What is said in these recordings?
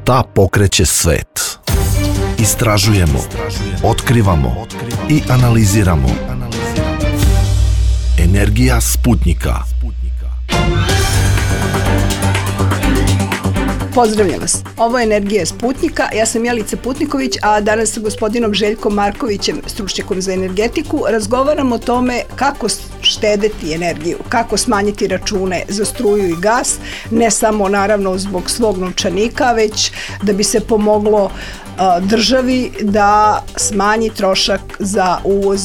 Šta pokreće svet? Istražujemo, otkrivamo i analiziramo. Energija Sputnika. Pozdravljam vas. Ovo je Energija Sputnika. Ja sam Jelica Putniković, a danas sa gospodinom Željkom Markovićem, stručnjakom za energetiku, razgovaramo o tome kako štedeti energiju, kako smanjiti račune za struju i gas, ne samo naravno zbog svog novčanika, već da bi se pomoglo državi da smanji trošak za uvoz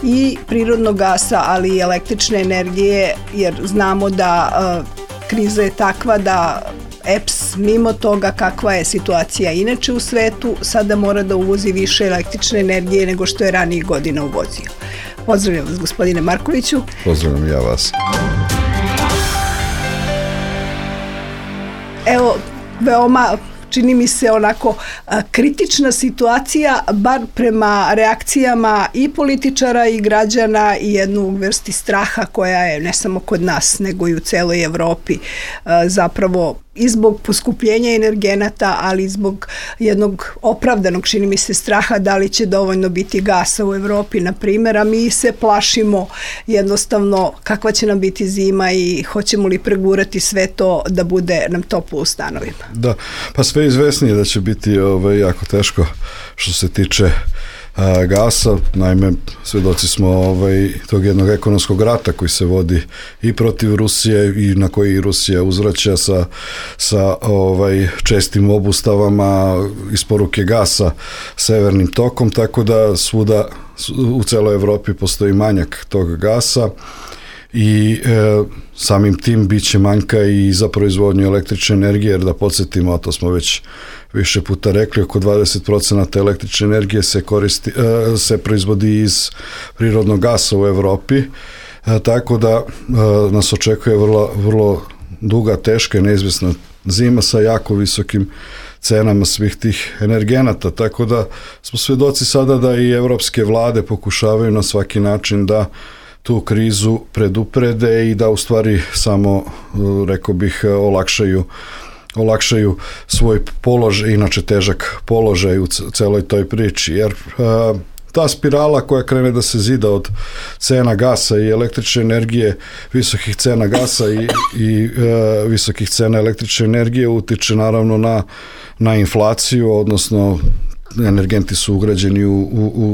i prirodnog gasa, ali i električne energije, jer znamo da kriza je takva da EPS, mimo toga kakva je situacija inače u svetu, sada mora da uvozi više električne energije nego što je ranijih godina uvozio. Pozdravljam vas, gospodine Markoviću. Pozdravljam ja vas. Evo, veoma čini mi se onako kritična situacija, bar prema reakcijama i političara i građana, i jednu vrsti straha koja je ne samo kod nas nego i u celoj Evropi, zapravo i zbog poskupljenja energenata, ali i zbog jednog opravdanog, čini mi se, straha da li će dovoljno biti gasa u Evropi, na primjer, a mi se plašimo jednostavno kakva će nam biti zima i hoćemo li pregurati sve to da bude nam toplo u stanovima. Da, pa sve izvesnije da će biti jako teško što se tiče gasa. Naime, svedoci smo tog jednog ekonomskog rata koji se vodi i protiv Rusije i na koji Rusija uzvraća sa čestim obustavama isporuke gasa severnim tokom, tako da svuda u celoj Evropi postoji manjak tog gasa i samim tim bit će manjka i za proizvodnju električne energije, jer da podsjetimo, a to smo već više puta rekli, oko 20% električne energije se proizvodi iz prirodnog gasa u Evropi, tako da nas očekuje vrlo duga, teška i neizvjesna zima sa jako visokim cenama svih tih energenata, tako da smo svedoci sada da i evropske vlade pokušavaju na svaki način da tu krizu preduprede i da u stvari samo, rekao bih, olakšaju svoj položaj, inače težak položaj u celoj toj priči, jer ta spirala koja krene da se zida od cena gasa i električne energije, visokih cena gasa i visokih cena električne energije utiče naravno na inflaciju, odnosno energenti su ugrađeni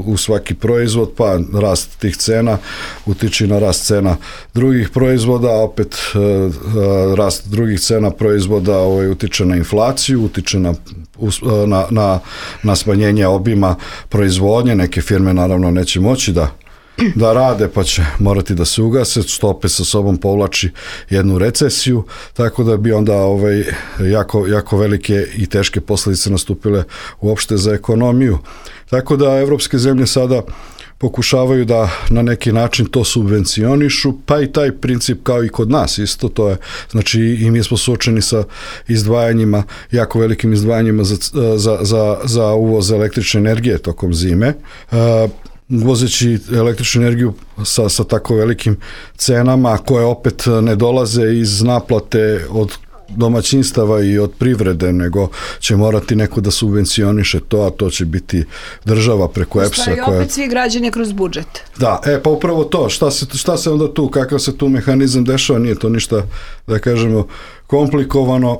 u svaki proizvod, pa rast tih cena utiče na rast cena drugih proizvoda, a opet rast drugih cena proizvoda utiče na inflaciju, utiče na smanjenje obima proizvodnje. Neke firme naravno neće moći da rade, pa će morati da se ugase, što opet sa sobom povlači jednu recesiju, tako da bi onda jako velike i teške posljedice nastupile uopšte za ekonomiju. Tako da evropske zemlje sada pokušavaju da na neki način to subvencionišu, pa i taj princip kao i kod nas isto, to je, znači i mi smo suočeni sa izdvajanjima, jako velikim izdvajanjima za uvoz električne energije tokom zime, uvozeći električnu energiju sa tako velikim cenama koje opet ne dolaze iz naplate od domaćinstava i od privrede, nego će morati neko da subvencioniše to, a to će biti država preko EPS-a. I opet svi građani kroz budžet. Da, pa upravo to, šta se onda tu, kakav se tu mehanizam dešava, nije to ništa, da kažemo, komplikovano,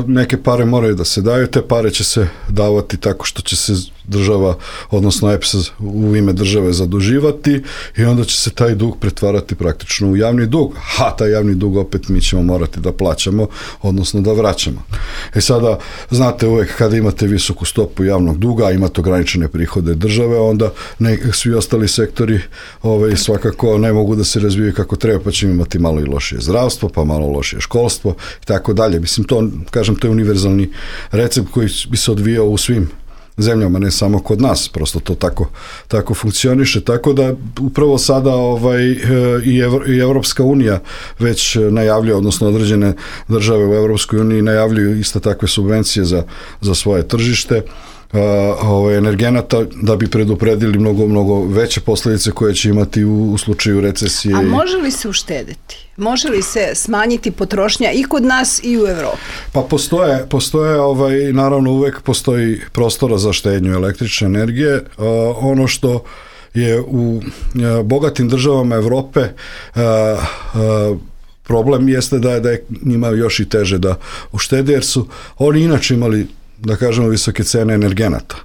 neke pare moraju da se daju, te pare će se davati tako što će se država, odnosno EPS u ime države zaduživati i onda će se taj dug pretvarati praktično u javni dug, a taj javni dug opet mi ćemo morati da plaćamo, odnosno da vraćamo. Sada, znate, uvek kada imate visoku stopu javnog duga, imate ograničene prihode države, onda svi ostali sektori svakako ne mogu da se razvijaju kako treba, pa ćemo imati malo i lošije zdravstvo, pa malo lošije školstvo i tako dalje. Mislim, to je univerzalni recept koji bi se odvijao u svim zemljama, ne samo kod nas, prosto to tako funkcioniše, tako da upravo sada i Evropska unija već najavljuje, odnosno određene države u Evropskoj uniji najavljuju iste takve subvencije za svoje tržište. energenata da bi predupredili mnogo veće posljedice koje će imati u slučaju recesije. A može li se uštediti? Može li se smanjiti potrošnja i kod nas i u Evropi? Pa postoje naravno uvek postoji prostora za štednju električne energije. Ono što je u bogatim državama Evrope problem jeste da je njima još i teže da uštede, jer su oni inače imali, da kažemo, visoke cene energenata.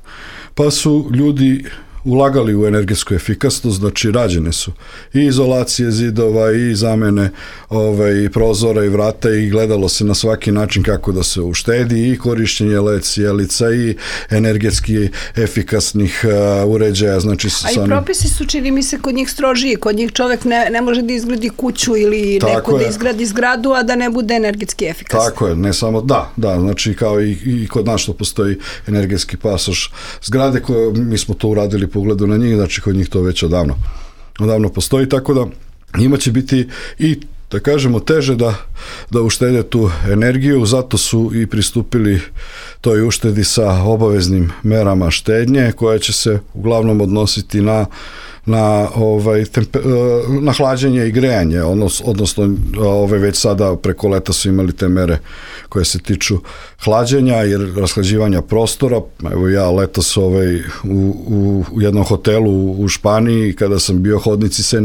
Pa su ljudi ulagali u energetsku efikasnost, znači rađene su i izolacije zidova i zamene i prozora i vrata i gledalo se na svaki način kako da se uštedi i korišćenje LED sjelica i energetski efikasnih uređaja. Znači, a i propisi su, čini mi se, kod njih strožiji. Kod njih čovek ne može da izgradi kuću ili neko da izgradi zgradu, a da ne bude energetski efikasan. Tako je, ne samo, da, znači kao i kod nas što postoji energetski pasoš zgrade, koje mi smo to uradili po ugledu na njih, znači kod njih to već odavno postoji, tako da njima će biti i, da kažemo, teže da uštede tu energiju, zato su i pristupili toj uštedi sa obaveznim merama štednje, koja će se uglavnom odnositi na hlađenje i grejanje, odnosno već sada preko leta su imali te mere koje se tiču hlađenja jer rashlađivanja prostora. Evo ja letos u jednom hotelu u Španiji, kada sam bio, hodnici se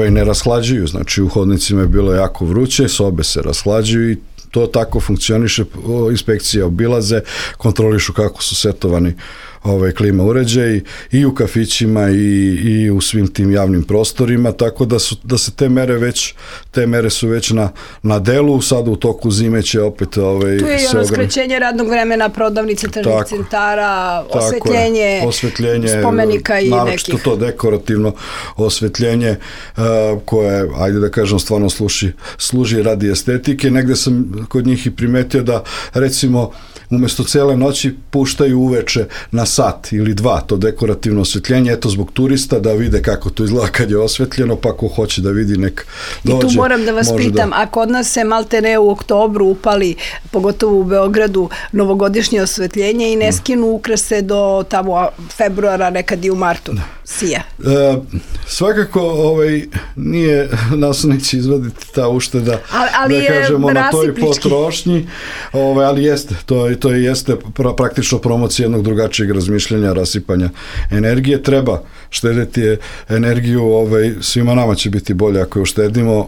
ne rashlađuju, znači u hodnicima je bilo jako vruće, sobe se rashlađuju i to tako funkcioniše, inspekcije obilaze, kontrolišu kako su setovani klima uređaji i u kafićima i u svim tim javnim prostorima, tako da se te mere su već na delu. Sada u toku zime će opet tu je i ono skraćenje radnog vremena, prodavnice, tržnih centara, osvetljenje spomenika i nekih. Naročito to dekorativno osvetljenje koje, ajde da kažem, stvarno služi radi estetike. Negde sam kod njih i primetio da, recimo, umjesto cele noći puštaju uveče na sat ili dva to dekorativno osvetljenje, eto zbog turista da vide kako to izgleda kad je osvetljeno, pa ko hoće da vidi nek dođe. I tu moram da vas pitam, a kod nas se maltene u oktobru upali, pogotovo u Beogradu, novogodišnje osvetljenje i ne skinu ukrase do tamo februara, nekad i u martu sija. Svakako nije nas neće izvaditi ta ušteda, ali da kažemo, na toj potrošnji, ali jeste, to jeste praktično promocija jednog drugačijeg razmišljanja, rasipanja energije. Treba štediti energiju, svima nama će biti bolje ako je uštedimo.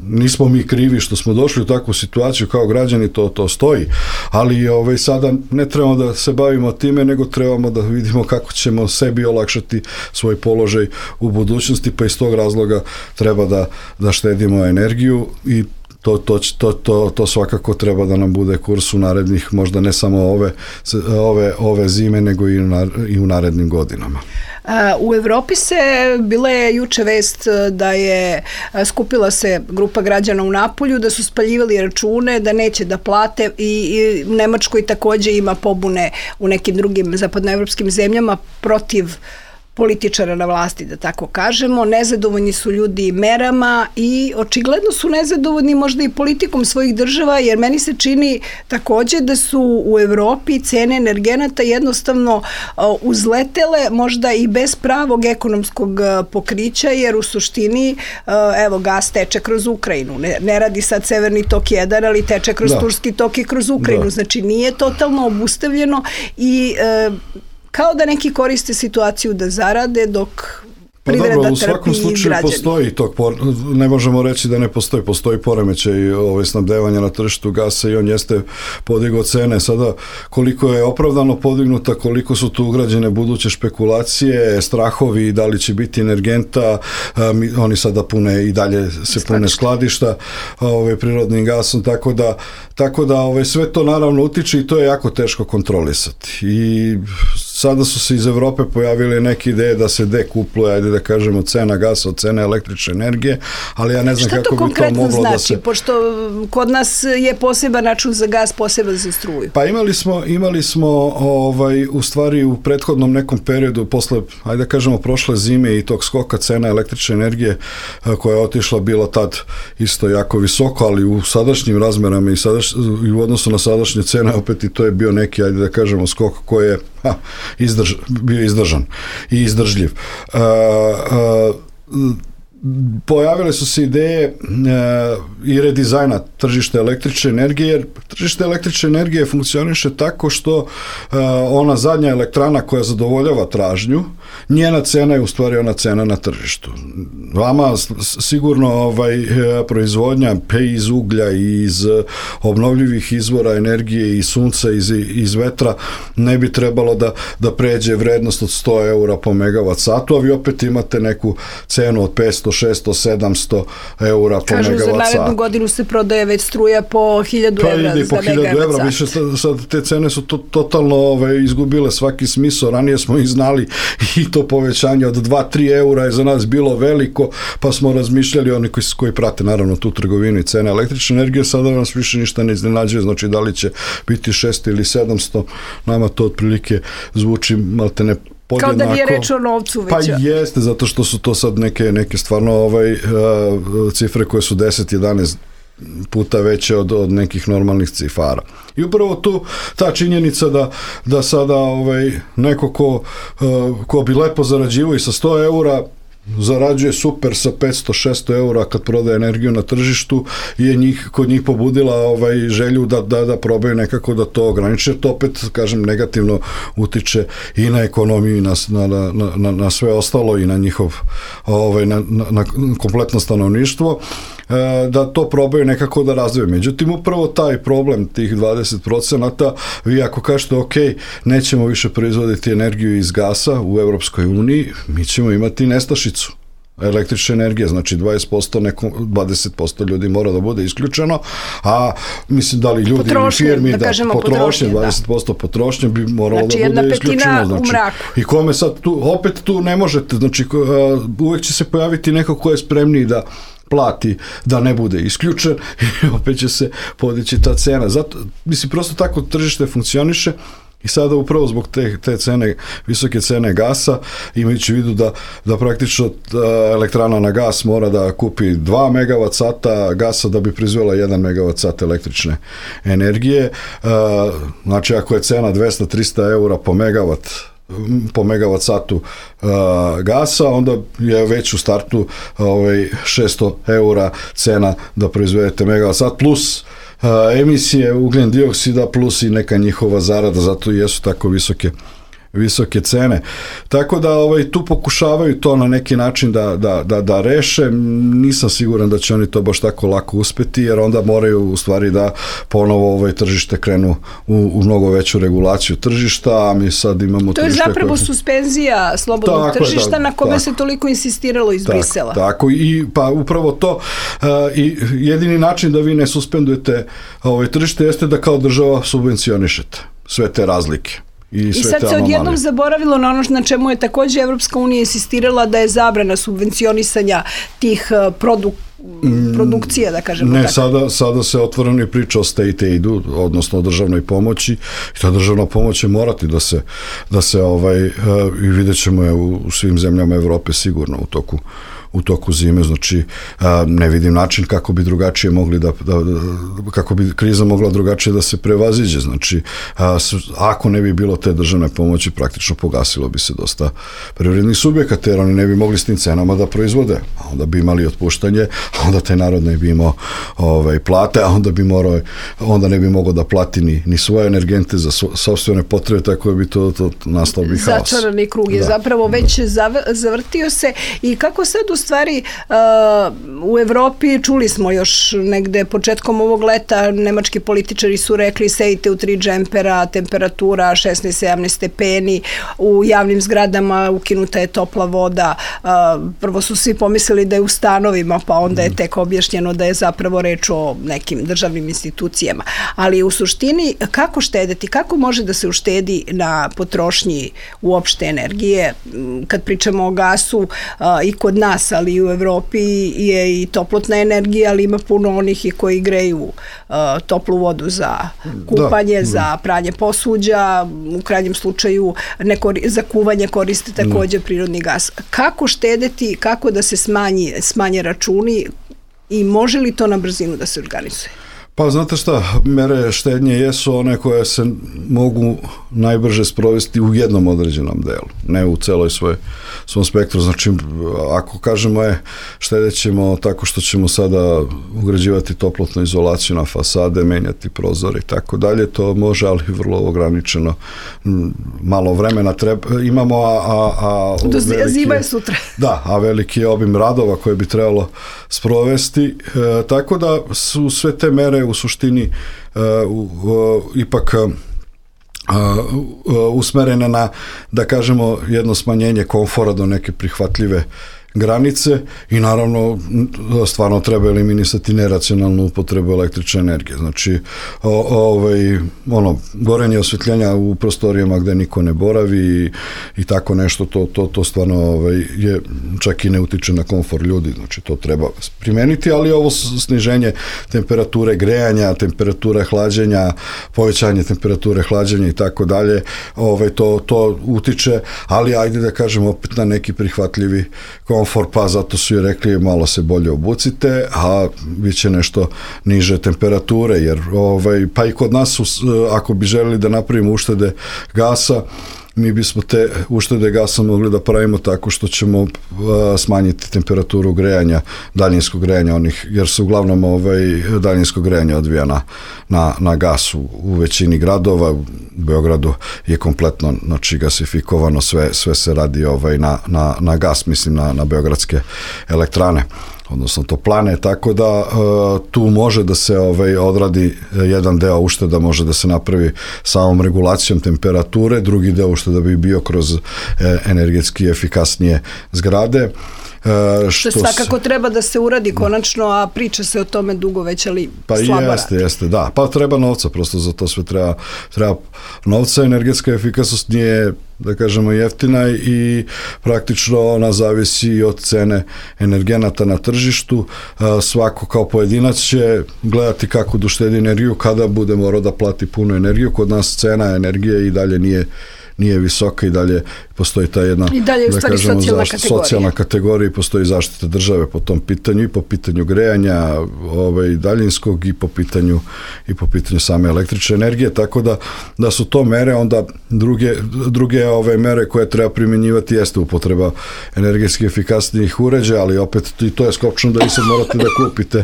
Nismo mi krivi što smo došli u takvu situaciju kao građani, to stoji, ali sada ne trebamo da se bavimo time, nego trebamo da vidimo kako ćemo sebi olakšati svoj položaj u budućnosti, pa iz tog razloga treba da štedimo energiju i to svakako treba da nam bude kurs u narednih, možda ne samo ove zime, nego i u narednim godinama. U Evropi bila je juče vest da je skupila se grupa građana u Napolju, da su spaljivali račune, da neće da plate i u Nemačkoj takođe ima pobune u nekim drugim zapadnoevropskim zemljama protiv političara na vlasti, da tako kažemo. Nezadovoljni su ljudi merama i očigledno su nezadovoljni možda i politikom svojih država, jer meni se čini takođe da su u Evropi cene energenata jednostavno uzletele, možda i bez pravog ekonomskog pokrića, jer u suštini, evo, gas teče kroz Ukrajinu. Ne radi sad Severni tok 1, ali teče kroz Turski tok i kroz Ukrajinu. Znači, nije totalno obustavljeno i kao da neki koriste situaciju da zarade dok privreda trpi i građani. U svakom slučaju postoji ne možemo reći da ne postoji poremećaj snabdevanja na tržištu gasa i on jeste podigao cene. Sada koliko je opravdano podignuta, koliko su tu ugrađene buduće špekulacije, strahovi, da li će biti energenta, oni sada i dalje se pune skladišta prirodnim gasom, tako da sve to naravno utiče i to je jako teško kontrolisati. I sada su se iz Evrope pojavile neke ideje da se dekupluje, ajde da kažemo, cena gasa od cene električne energije, ali ja ne znam kako bi to moglo da se... Šta to konkretno znači? Pošto kod nas je poseban račun za gas, poseban za struju. Pa imali smo u stvari u prethodnom nekom periodu, posle, ajde da kažemo, prošle zime i tog skoka cena električne energije koja je otišla, bila tad isto jako visoko, ali u sadašnjim razmerama i u odnosu na sadašnje cene, opet i to je bio neki, ajde da kažemo, skok koji je bio izdržan i izdržljiv. Pojavile su se ideje i redizajna tržišta električne energije, jer tržište električne energije funkcioniše tako što ona zadnja elektrana koja zadovoljava tražnju, njena cena je u stvari ona cena na tržištu. Vama sigurno proizvodnja iz uglja i iz obnovljivih izvora energije i sunca iz vetra ne bi trebalo da pređe vrednost od 100 eura po megavat satu, a vi opet imate neku cenu od 500, 600, 700 eura po megavat satu. Kažu, za narednu godinu se prodaje već struja po 1000 evra za megavat sat. Više sad te cene su totalno izgubile svaki smisao. Ranije smo ih znali i to povećanje od 2-3 eura je za nas bilo veliko, pa smo razmišljali, oni koji prate naravno tu trgovinu i cene električne energije, sada nas više ništa ne iznenađuje, znači da li će biti 600 ili 700, nama to otprilike zvuči maltene podjednako. Kao da nije reč o novcu već. Pa jeste, zato što su to sad neke stvarno cifre koje su 10-11 puta veće od nekih normalnih cifara. I upravo tu ta činjenica da sada neko ko bi lepo zarađivao i sa 100 eura zarađuje super sa 500-600 eura kad prodaje energiju na tržištu, je kod njih pobudila želju da probaju nekako da to ograniče. To opet, kažem, negativno utiče i na ekonomiju i na sve ostalo i na njihov na kompletno stanovništvo, da to probaju nekako da razviju. Međutim, upravo taj problem tih 20%, vi ako kažete ok, nećemo više proizvoditi energiju iz gasa u Evropskoj uniji, mi ćemo imati nestašicu električne energije, znači 20% ljudi mora da bude isključeno, a mislim da li ljudi ili firmi, potrošnje, 20% potrošnje bi moralo da bude isključeno. Znači, i kome sad opet tu ne možete, znači uvek će se pojaviti neko ko je spremniji da plati da ne bude isključen i opet će se podići ta cena. Zato, mislim, prosto tako tržište funkcioniše i sada upravo zbog te cene, visoke cene gasa, imajući u vidu da praktično elektrana na gas mora da kupi 2 megavat sata gasa da bi proizvela 1 megavat sat električne energije. Znači, ako je cena 200-300 eura po megavat satu gasa, onda je već u startu 600 eura cena da proizvedete megavat sat, plus emisije ugljen dioksida, plus i neka njihova zarada, zato i jesu tako visoke cene. Tako da tu pokušavaju to na neki način da reše. Nisam siguran da će oni to baš tako lako uspeti, jer onda moraju u stvari da ponovo tržište krenu u mnogo veću regulaciju tržišta, a mi sad imamo to je zapravo suspenzija slobodnog tržišta na kome se toliko insistiralo iz Brisela. Tako, i pa upravo to i jedini način da vi ne suspendujete tržište jeste da kao država subvencionišete sve te razlike. I sad se odjednom zaboravilo na ono na čemu je takođe Evropska unija insistirala, da je zabrana subvencionisanja tih produkcija, da kažemo tako. Ne, sada se otvoreno priča o state aidu, odnosno o državnoj pomoći, i ta državna pomoć će morati da se i vidjet ćemo je u svim zemljama Evrope sigurno u toku zime, znači ne vidim način kako bi drugačije mogli kako bi kriza mogla drugačije da se prevaziđe, znači ako ne bi bilo te državne pomoći, praktično pogasilo bi se dosta privrednih subjekata, jer oni ne bi mogli s tim cenama da proizvode, a onda bi imali otpuštanje, a onda taj narod ne bi imao plate, a onda ne bi mogao da plati ni svoje energente za sopstvene potrebe, tako bi to nastao bi haos. Začarani krug je zapravo već zavrtio se. I kako sad u stvari u Evropi, čuli smo još negde početkom ovog leta, nemački političari su rekli sejte u 3 džempera, temperatura 16-17 stepeni, u javnim zgradama ukinuta je topla voda. Prvo su svi pomislili da je u stanovima, pa onda je tek objašnjeno da je zapravo reč o nekim državnim institucijama. Ali u suštini, kako štedeti, kako može da se uštedi na potrošnji uopšte energije? Kad pričamo o gasu, i kod nas, ali i u Evropi je i toplotna energija, ali ima puno onih i koji greju toplu vodu za kupanje, za pranje posuđa, u krajnjem slučaju za kuvanje koriste takođe prirodni gas. Kako štedeti, kako da se smanje računi i može li to na brzinu da se organizuje? Pa znate šta, mere štednje jesu one koje se mogu najbrže sprovesti u jednom određenom delu, ne u celoj svom spektru. Znači, ako kažemo štedjet ćemo tako što ćemo sada ugrađivati toplotnu izolaciju na fasade, menjati prozore i tako dalje, to može, ali vrlo ograničeno, malo vremena imamo, zima je sutra. Da, a veliki je obim radova koje bi trebalo sprovesti, tako da su sve te mere u suštini ipak usmerene na, da kažemo, jedno smanjenje komfora do neke prihvatljive granice i naravno stvarno treba eliminisati neracionalnu upotrebu električne energije. Znači, gorenje osvetljenja u prostorijama gde niko ne boravi i tako nešto, to stvarno je, čak i ne utiče na komfor ljudi, znači to treba primeniti, ali ovo sniženje temperature grejanja, temperature hlađenja, povećanje temperature hlađenja i tako dalje, to utiče, ali ajde da kažemo opet na neki prihvatljivi komfor, pa zato su i rekli malo se bolje obucite, a bit će nešto niže temperature, jer pa i kod nas ako bi želeli da napravimo uštede gasa, mi bismo te uštede gasa mogli da pravimo tako što ćemo smanjiti temperaturu grejanja, daljinskog grejanja jer se uglavnom daljinsko grejanje odvija na gas u većini gradova. U Beogradu je kompletno, znači, gasifikovano, sve se radi na gas, mislim na beogradske elektrane, odnosno toplane, tako da tu može da se odradi jedan deo ušteda, može da se napravi samom regulacijom temperature, drugi deo ušteda bi bio kroz energetski efikasnije zgrade. Što svakako treba da se uradi konačno, a priča se o tome dugo već, ali slabo radi. Jeste, da. Pa treba novca, prosto za to sve treba novca. Energetska efikasnost nije, da kažemo, jeftina i praktično ona zavisi od cene energenata na tržištu. Svako kao pojedinac će gledati kako da uštedi energiju kada bude morao da plati punu energiju. Kod nas cena energije i dalje nije visoka i dalje postoji ta jedna, da kažemo, socijalna kategorija i postoji zaštita države po tom pitanju i po pitanju grejanja daljinskog i po pitanju same električne energije, tako da su to mere. Onda druge mere koje treba primjenjivati jeste upotreba energetski efikasnijih uređaja, ali opet i to je skopčno da vi sad morate da kupite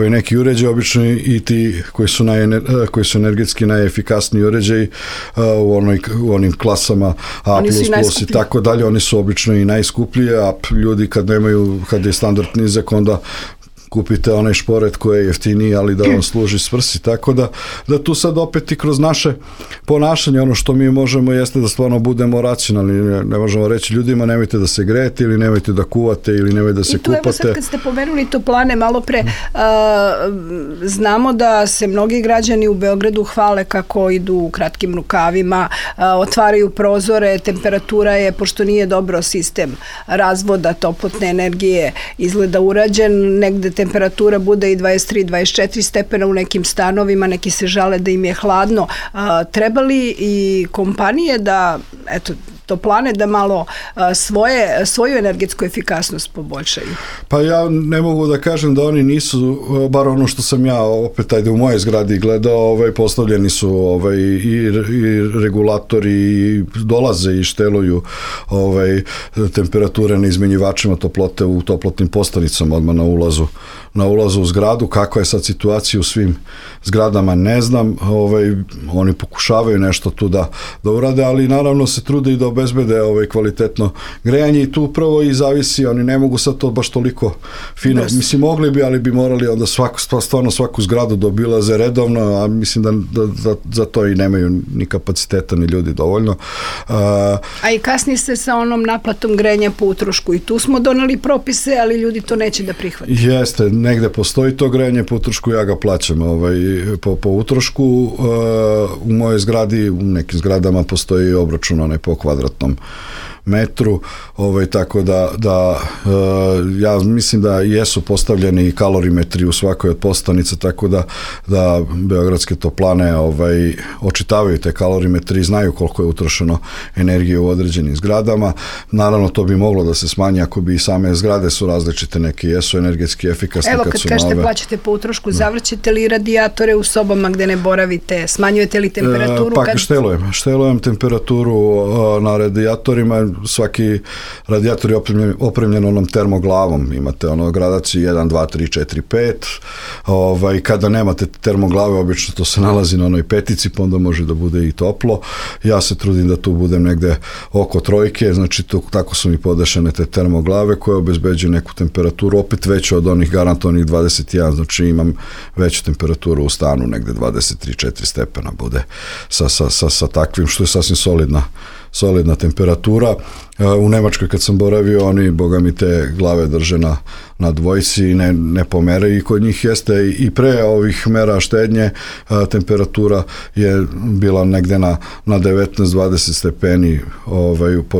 neki uređaj, obično i ti koji su energetski najefikasniji uređaji u onim klasama A++ i tako dalje, oni su obično i najskupliji, a ljudi kad je standard nizak, onda kupite onaj šporet koji je jeftiniji, ali da vam služi svrsi, tako da tu sad opet i kroz naše ponašanje, ono što mi možemo jeste da stvarno budemo racionalni, ne možemo reći ljudima nemojte da se grejete ili nemojte da kuvate ili nemojte da se kupate. I tu evo sad kad ste pomenuli toplane malo pre, znamo da se mnogi građani u Beogradu hvale kako idu u kratkim rukavima, otvaraju prozore, temperatura je, pošto nije dobro sistem razvoda toplotne energije izgleda urađen, negde temperatura bude i 23-24 stepena u nekim stanovima, neki se žale da im je hladno. Treba li i kompanije da, toplane, da malo svoju energetsku efikasnost poboljšaju? Pa ja ne mogu da kažem da oni nisu, bar ono što sam ja opet u mojoj zgradi gledao, postavljeni su i regulatori i dolaze i šteluju temperature na izmenjivačima toplote u toplotnim postanicama odmah na ulazu u zgradu. Kakva je sad situacija u svim zgradama, ne znam. Oni pokušavaju nešto tu da urade, ali naravno se trude i da obezbede kvalitetno grejanje i tu upravo i zavisi, oni ne mogu sad to baš toliko fino, mislim mogli bi, ali bi morali onda stvarno svaku zgradu da obilaze redovno, a mislim da za to i nemaju ni kapaciteta ni ljudi dovoljno. A i kasnije se sa onom naplatom grejanja po utrošku i tu smo doneli propise, ali ljudi to neće da prihvate. Jeste, negde postoji to grejanje po utrošku, ja ga plaćam po utrošku. U mojoj zgradi, u nekim zgradama postoji obračun po kvadratnom metru, tako da ja mislim da jesu postavljeni kalorimetri u svakoj od postavnica, tako da beogradske toplane očitavaju te kalorimetri i znaju koliko je utrošeno energije u određenim zgradama. Naravno, to bi moglo da se smanji ako bi i same zgrade su različite, neke jesu energetski efikasne. Evo, kad kažete plaćate po utrošku, zavrćete li radijatore u sobama gde ne boravite? Smanjujete li temperaturu? Štelujem temperaturu na radijatorima. Svaki radijator je opremljen onom termoglavom. Imate gradaciju 1, 2, 3, 4, 5. Kada nemate termoglave, obično to se nalazi na onoj petici, pa onda može da bude i toplo. Ja se trudim da tu budem negde oko 3, znači tako su mi podešene te termoglave koje obezbeđuju neku temperaturu, opet veću od onih garantovanih 21, znači imam veću temperaturu u stanu, negde 23-4 stepena bude sa takvim, što je sasvim solidna temperatura. U Nemačkoj kad sam boravio, oni, boga mi, te glave drže na dvojci i ne pomeraju, i kod njih jeste i pre ovih mera štednje temperatura je bila negde na 19-20 stepeni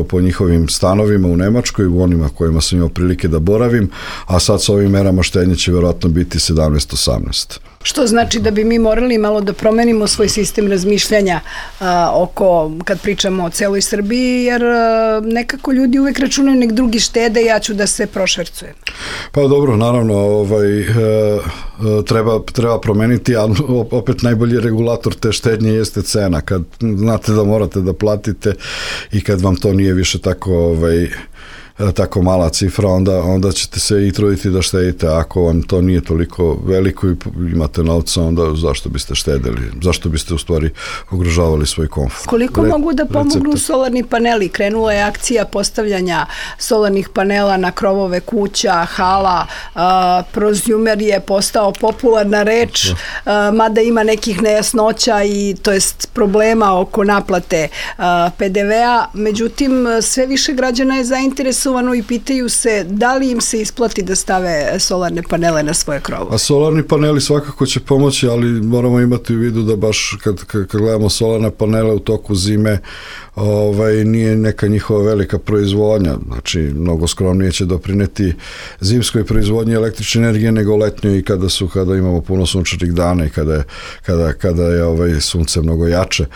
po njihovim stanovima u Nemačkoj, u onima kojima sam imao prilike da boravim, a sad sa ovim merama štednje će verovatno biti 17-18. Što znači da bi mi morali malo da promenimo svoj sistem razmišljanja kad pričamo o celoj Srbiji, jer nekako ljudi uvek računaju nek drugi štede, ja ću da se prošvercujem. Pa dobro, naravno, treba promeniti, ali opet najbolji regulator te štednje jeste cena. Kad znate da morate da platite i kad vam to nije više tako mala cifra, onda ćete se i truditi da štedite. Ako vam to nije toliko veliko i imate novca, onda zašto biste štedeli? Zašto biste u stvari ugrožavali svoj komfort? Koliko mogu da pomognu solarni paneli? Krenula je akcija postavljanja solarnih panela na krovove kuća, hala, prozumer je postao popularna reč, mada ima nekih nejasnoća i to jest problema oko naplate PDV-a. Međutim, sve više građana je zainteresovano i pitaju se da li im se isplati da stave solarne panele na svoje krovo. A solarni paneli svakako će pomoći, ali moramo imati u vidu da baš kad gledamo solarne panele u toku zime, nije neka njihova velika proizvodnja, znači mnogo skromnije će doprineti zimskoj proizvodnji električne energije nego letnjoj, i kada imamo puno sunčanih dana i kada je sunce mnogo jače.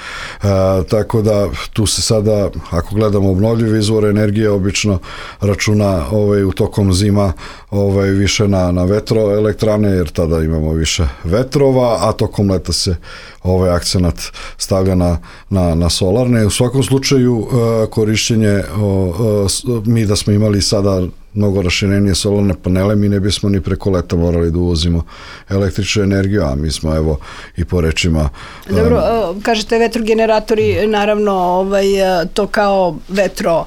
Tako da tu se sada, ako gledamo obnovljive izvore energije, obično računa u tokom zima više na vetroelektrane, jer tada imamo više vetrova, a tokom leta se akcenat stavlja na solarne. U svakom slučaju korišćenje, mi da smo imali sada mnogo raširenije solarne panele, mi ne bismo ni preko leta morali da uvozimo električnu energiju, a mi smo i po rečima... Dobro, kažete vetrogeneratori, naravno to kao vetro,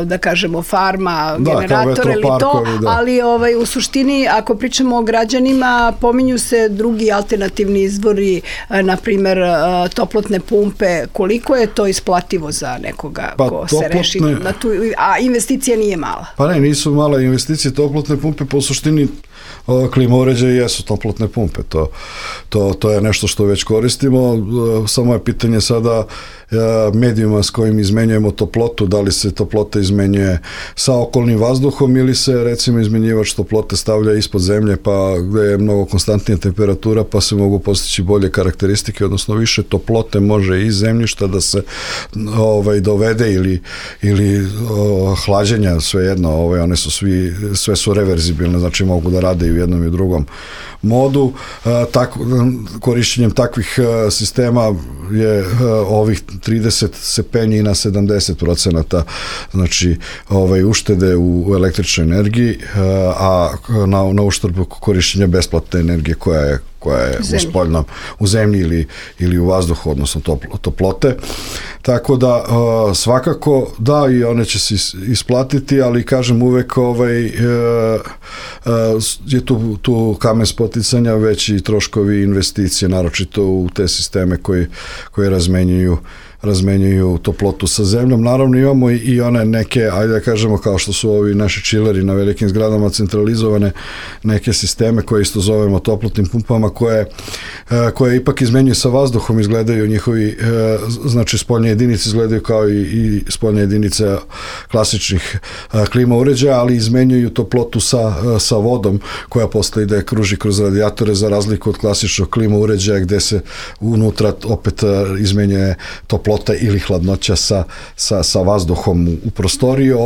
da kažemo farma, generator ili to, ali u suštini, ako pričamo o građanima, pominju se drugi alternativni izvori, na primer toplotne pumpe. Koliko je to isplativo za nekoga ko se reši na tu, a investicija nije mala? Pa ne, nisu male investicije. Toplotne pumpe po suštini klima uređaji jesu toplotne pumpe. To je nešto što već koristimo. Samo je pitanje sada medijuma s kojim izmenjujemo toplotu, da li se toplota izmenjuje sa okolnim vazduhom ili se recimo izmenjivač toplote stavlja ispod zemlje, pa gde je mnogo konstantnija temperatura, pa se mogu postići bolje karakteristike, odnosno više toplote može iz zemljišta da se dovede ili hlađenja, svejedno, one su sve su reverzibilne, znači mogu da rade i u jednom i u drugom modu. Korišćenjem takvih sistema je ovih 30 se penji na 70%, znači uštede u električnoj energiji, a na uštrb korišćenja besplatne energije koja je koja je u zemlji ili u vazduhu, odnosno toplote. Tako da svakako da, i one će se isplatiti, ali kažem uvek je tu kamen spoticanja, već i troškovi investicije, naročito u te sisteme koji razmenjuju toplotu sa zemljom. Naravno imamo i one neke, ajde da kažemo, kao što su ovi naši čileri na velikim zgradama, centralizovane neke sisteme koje isto zovemo toplotnim pumpama, koje ipak izmenjuju sa vazduhom, izgledaju njihovi, znači spoljne jedinice izgledaju kao i spoljne jedinice klasičnih klima uređaja, ali izmenjuju toplotu sa vodom, koja posle ide kruži kroz radijatore, za razliku od klasičnog klima uređaja gde se unutra opet izmenjuje toplota ili hladnoća sa vazduhom u prostoriju.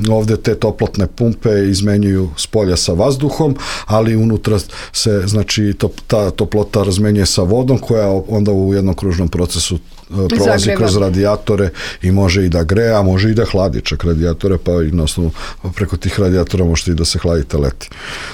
Ovde te toplotne pumpe izmenjuju s polja sa vazduhom, ali unutra se, znači, ta toplota razmenjuje sa vodom, koja onda u jednom kružnom procesu prolazi kroz radijatore i može i da greje, a može i da hladi čak radijatore, pa i na osnovu preko tih radijatora možete i da se hladite leti.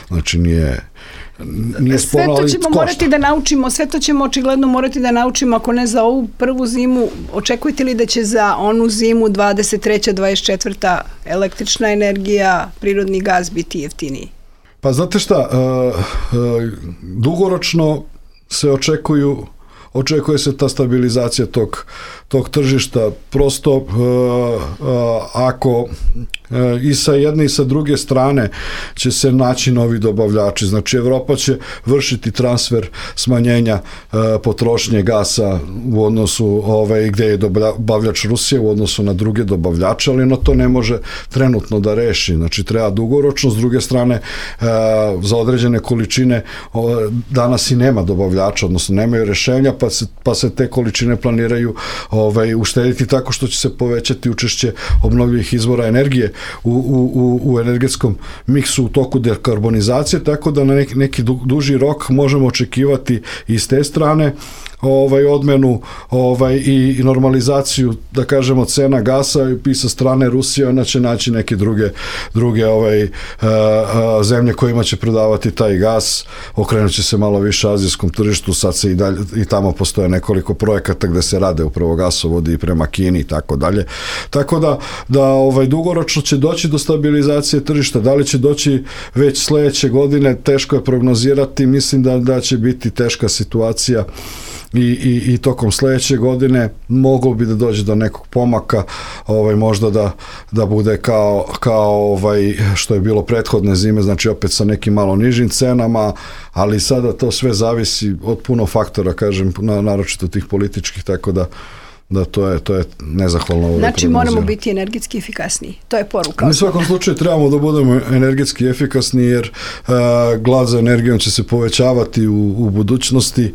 Znači nije sve to ćemo morati da naučimo, sve to ćemo očigledno morati da naučimo, ako ne za ovu prvu zimu. Očekujete li da će za onu zimu 23. 24. električna energija, prirodni gas biti jeftiniji? Pa znate šta, dugoročno se očekuje se ta stabilizacija tog tržišta. Prosto ako i sa jedne i sa druge strane će se naći novi dobavljači. Znači Evropa će vršiti transfer smanjenja potrošnje gasa u odnosu gde je dobavljač Rusije u odnosu na druge dobavljače, ali ono to ne može trenutno da reši. Znači treba dugoročno. S druge strane, za određene količine danas i nema dobavljača, odnosno nemaju rešenja, pa se te količine planiraju uštediti tako što će se povećati učešće obnovljivih izvora energije u energetskom miksu u toku dekarbonizacije, tako da na neki duži rok možemo očekivati i s te strane odmenu i normalizaciju, da kažemo, cena gasa, i sa strane Rusije ona će naći neke druge zemlje kojima će prodavati taj gas. Okrenut će se malo više azijskom tržištu, sad se i tamo postoje nekoliko projekata gde se rade upravo gasovodi i prema Kini i tako dalje. Tako da dugoročno će doći do stabilizacije tržišta. Da li će doći već sledeće godine, teško je prognozirati. Mislim da će biti teška situacija i tokom sledeće godine. Moglo bi da dođe do nekog pomaka, možda da bude kao što je bilo prethodne zime, znači opet sa nekim malo nižim cenama, ali sada to sve zavisi od puno faktora, kažem, naročito tih političkih, tako da to je nezahvalno. Znači moramo biti energetski efikasniji. To je poruka. U svakom slučaju trebamo da budemo energetski efikasni, jer glad za energijom će se povećavati u budućnosti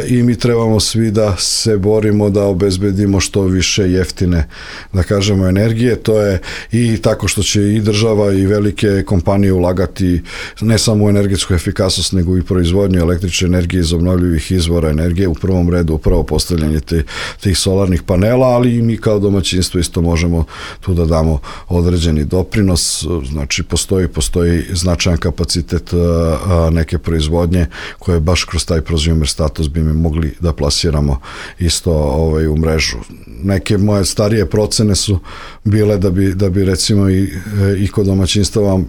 i mi trebamo svi da se borimo da obezbedimo što više jeftine, da kažemo, energije. To je i tako što će i država i velike kompanije ulagati ne samo u energetsku efikasnost, nego i proizvodnju električne energije iz obnovljivih izvora energije, u prvom redu upravo postavljanje tih solarnih panela, ali i mi kao domaćinstvo isto možemo tu da damo određeni doprinos. Znači postoji značajan kapacitet neke proizvodnje koje baš kroz taj prosumer status bi mi mogli da plasiramo isto u mrežu. Neke moje starije procene su bile da bi recimo i kod domaćinstava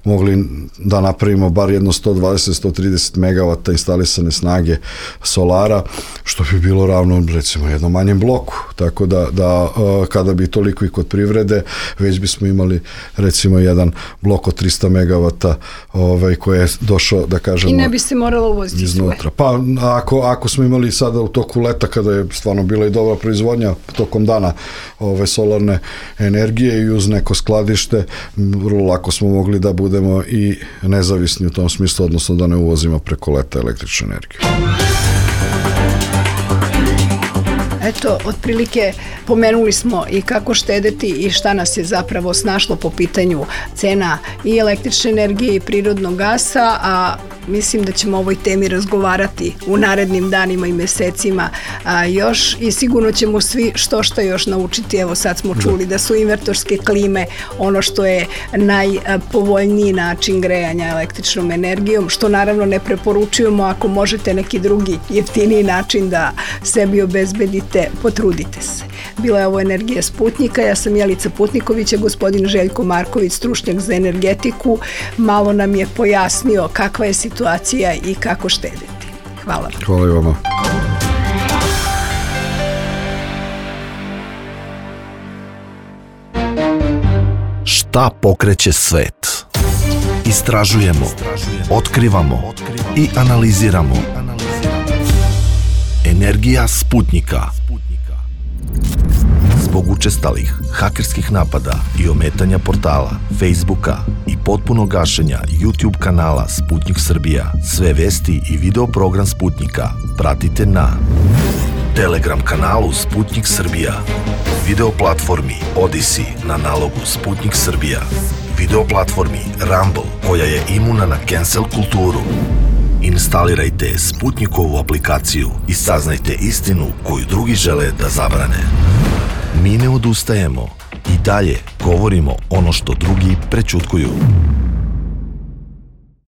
mogli da napravimo bar jedno 120-130 megavata instalisane snage solara, što bi bilo ravno recimo jednom manjem bloku. Tako da kada bi toliko i kod privrede, već bismo imali recimo jedan blok od 300 megavata koji je došao, da kažemo, i ne bi se moralo uvoziti iznutra. Pa ako smo imali sada u toku leta, kada je stvarno bila i dobra proizvodnja tokom dana solarne energije i uz neko skladište, vrlo lako smo mogli da budemo i nezavisni u tom smislu, odnosno da ne uvozimo preko leta električnu energiju. Eto, otprilike Pomenuli smo i kako štedeti i šta nas je zapravo snašlo po pitanju cena i električne energije i prirodnog gasa, a mislim da ćemo o ovoj temi razgovarati u narednim danima i mesecima još i sigurno ćemo svi što još naučiti. Evo sad smo čuli da su invertorske klime ono što je najpovoljniji način grejanja električnom energijom, što naravno ne preporučujemo. Ako možete neki drugi jeftiniji način da sebi obezbedite, potrudite se. Bila je ovo Energija Sputnjika, ja sam Jelica Putniković, a gospodin Željko Marković, stručnjak za energetiku, malo nam je pojasnio kakva je situacija i kako štedeti. Hvala. Hvala i vama. Šta pokreće svet? Istražujemo, otkrivamo i analiziramo. Energija Sputnjika. Zbog učestalih hakerskih napada i ometanja portala, Facebooka i potpunog gašenja YouTube kanala Sputnjik Srbija, sve vesti i video program Sputnjika pratite na Telegram kanalu Sputnjik Srbija, video platformi Odyssey na nalogu Sputnjik Srbija, video platformi Rumble koja je imuna na cancel kulturu. Instalirajte Sputnjikovu aplikaciju i saznajte istinu koju drugi žele da zabrane. Mi ne odustajemo i dalje govorimo ono što drugi prećutkuju.